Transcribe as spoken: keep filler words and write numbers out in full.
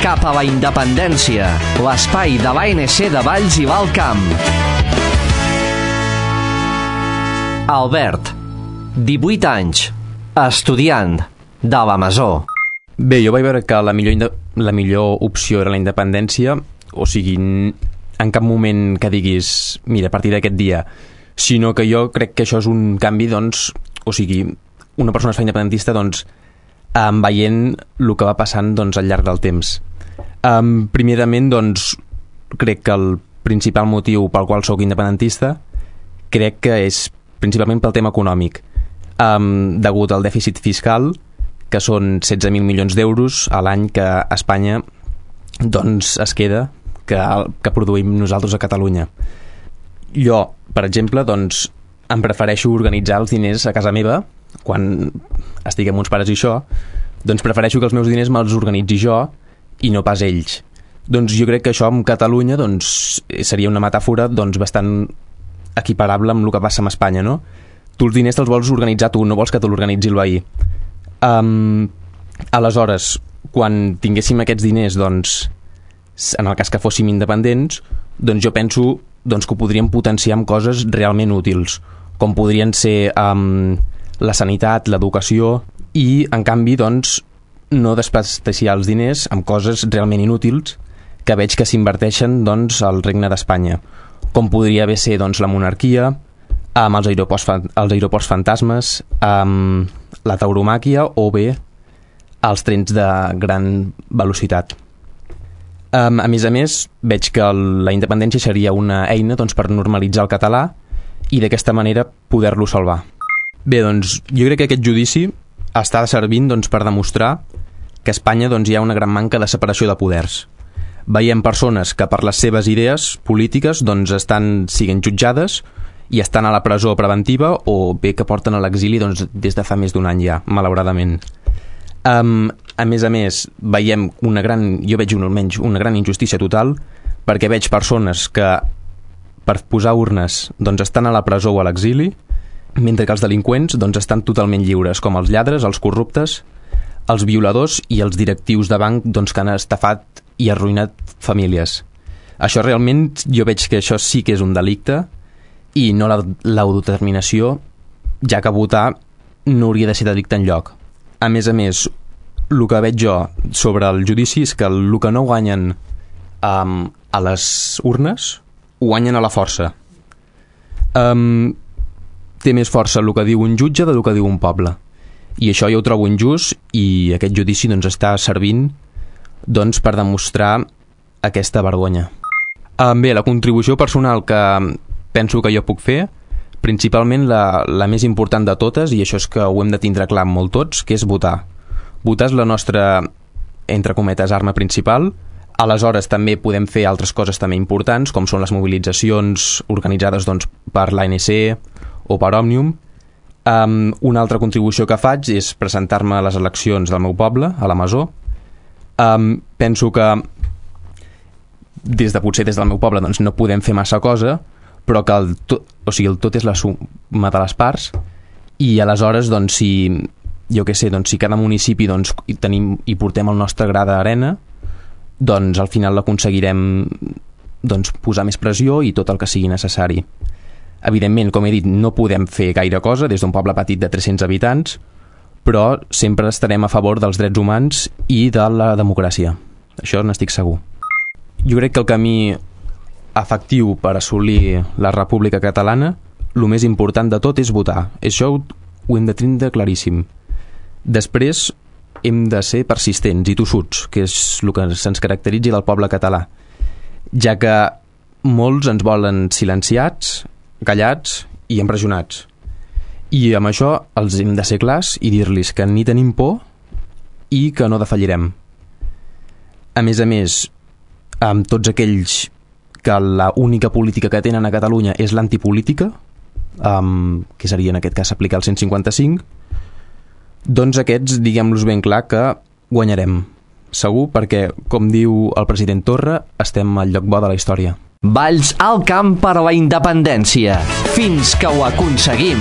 cap a la independència, l'espai de l'A N C de Valls i l'Alt Camp. Albert, divuit anys, estudiant de la Masó. Bé, jo vaig veure que la millor, la millor opció era la independència, o sigui, en cap moment que diguis, mira, a partir d'aquest dia, sinó que jo crec que això és un canvi, doncs, o sigui, una persona es fa independentista, doncs, um, veient el que va passant, doncs, al llarg del temps. Um, primerament, doncs, crec que el principal motiu pel qual sóc independentista crec que és principalment pel tema econòmic, um, degut al dèficit fiscal, que són setze mil milions d'euros a l'any que Espanya doncs, es queda, que, que produïm nosaltres a Catalunya. Jo, per exemple, doncs, em prefereixo organitzar els diners a casa meva, quan estic amb uns pares i això, doncs prefereixo que els meus diners me'ls organitzi jo i no pas ells. Doncs jo crec que això amb Catalunya doncs, seria una metàfora doncs, bastant equiparable amb el que passa amb Espanya, no? Tu els diners te'ls vols organitzar tu, no vols que te l'organitzi el veí. Um, aleshores, quan tinguéssim aquests diners, doncs, en el cas que fóssim independents, doncs jo penso doncs, que ho podríem potenciar amb coses realment útils, com podrien ser um, la sanitat, l'educació, i en canvi doncs, no desprestigiar els diners amb coses realment inútils que veig que s'inverteixen doncs, al Regne d'Espanya, com podria haver ser doncs, la monarquia, amb els aeroports, els aeroports fantasmes, amb la tauromàquia o bé els trens de gran velocitat. Um, a més a més, veig que el, la independència seria una eina doncs, per normalitzar el català i d'aquesta manera poder-lo salvar. Bé, doncs, jo crec que aquest judici està servint doncs, per demostrar que a Espanya doncs, hi ha una gran manca de separació de poders. Veiem persones que per les seves idees polítiques doncs, estan siguent jutjades i estan a la presó preventiva o bé que porten a l'exili doncs, des de fa més d'un any ja, malauradament. Um, a més a més, veiem una gran, jo veig un, almenys una gran injustícia total, perquè veig persones que per posar urnes doncs, estan a la presó o a l'exili, mentre que els delinqüents doncs, estan totalment lliures, com els lladres, els corruptes, els violadors i els directius de banc doncs, que han estafat i arruïnat famílies. Això realment, jo veig que això sí que és un delicte i no l'autodeterminació, ja que votar no hauria de ser delicte enlloc. A més a més, el que veig jo sobre el judici és que el que no guanyen um, a les urnes, ho guanyen a la força. Um, té més força el que diu un jutge del que diu un poble. I això jo ho trobo injust i aquest judici doncs, està servint doncs, per demostrar aquesta vergonya. Um, bé, la contribució personal que penso que jo puc fer, principalment la, la més important de totes, i això és que ho hem de tindre clar molt tots, que és votar. Votar és la nostra, entre cometes, arma principal. Aleshores també podem fer altres coses també importants, com són les mobilitzacions organitzades doncs, per l'A N C o per Òmnium. Um, una altra contribució que faig és presentar-me a les eleccions del meu poble, a la Masó. Um, penso que des de potser des del meu poble doncs, no podem fer massa cosa, però que el tot, o sigui, el tot és la suma de les parts i aleshores doncs, si jo què sé, doncs, si cada municipi doncs, hi, tenim, hi portem el nostre gra d'arena, doncs al final l'aconseguirem doncs, posar més pressió i tot el que sigui necessari. Evidentment, com he dit, no podem fer gaire cosa des d'un poble petit de tres-cents habitants, però sempre estarem a favor dels drets humans i de la democràcia. Això n'estic segur. Jo crec que el camí efectiu per assolir la República Catalana, el més important de tot és votar. Això ho, ho hem de tindre claríssim. Després hem de ser persistents i tossuts, que és el que se'ns caracteritza del poble català, ja que molts ens volen silenciats, callats i empresonats. I amb això els hem de ser clars i dir-los que ni tenim por i que no defallirem. A més a més, amb tots aquells que la única política que tenen a Catalunya és l'antipolítica, um, que seria en aquest cas aplicar el cent cinquanta-cinc, doncs aquests diguem-los ben clar que guanyarem. Segur, perquè, com diu el president Torra, estem al lloc bo de la història. Valls al camp per la independència. Fins que ho aconseguim.